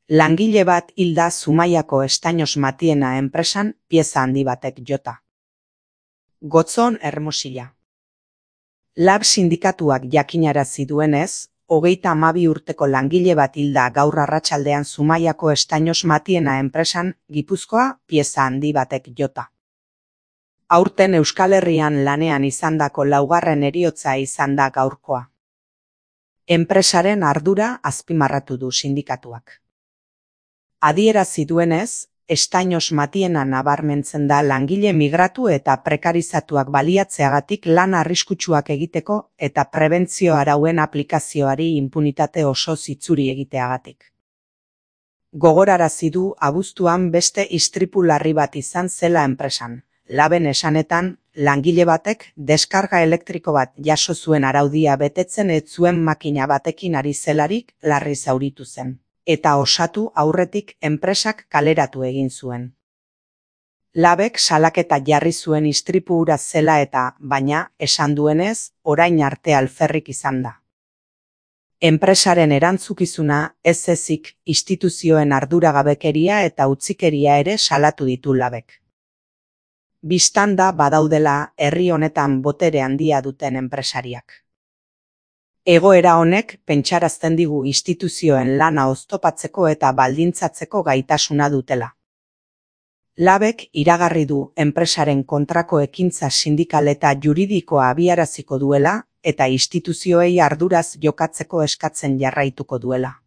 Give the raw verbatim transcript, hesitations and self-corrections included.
Langile bat hilda Zumaiako Estainos Matiena enpresan pieza handi batek jota. Gotzon Hermosilla. Lab sindikatuak jakinarazi duenez, hogeita hamabi urteko langile bat hilda gaur arratsaldean Zumaiako Estainos Matiena enpresan Gipuzkoa pieza handi batek jota. Aurten Euskal Herrian lanean izandako laugarren heriotza izan da gaurkoa. Enpresaren ardura azpimarratu du sindikatuak. Adierazi duenez, Estainos Matiena nabarmentzen da langile migratu eta prekarizatuak baliatzeagatik lan arriskutsuak egiteko eta prebentzio arauen aplikazioari inpunitate oso zitzuri egiteagatik. Gogorarazi du abuztuan beste istripu larri bat izan zela enpresan. Laben esanetan, langile batek deskarga elektriko bat jaso zuen araudia betetzen ez zuen makina batekin ari zelarik larri zauritu zen, eta osatu aurretik enpresak kaleratu egin zuen. Labek salaketa jarri zuen istripu hura zela eta, baina, esan duenez, orain arte alferrik izan da. Enpresaren erantzukizuna ez ezik instituzioen arduragabekeria eta utzikeria ere salatu ditu labek. Bistan da badaudela herri honetan botere handia duten enpresariak. Egoera honek pentsarazten digu instituzioen lana oztopatzeko eta baldintzatzeko gaitasuna dutela. Labek iragarri du enpresaren kontrako ekintza sindikal eta juridikoa abiaraziko duela eta instituzioei arduraz jokatzeko eskatzen jarraituko duela.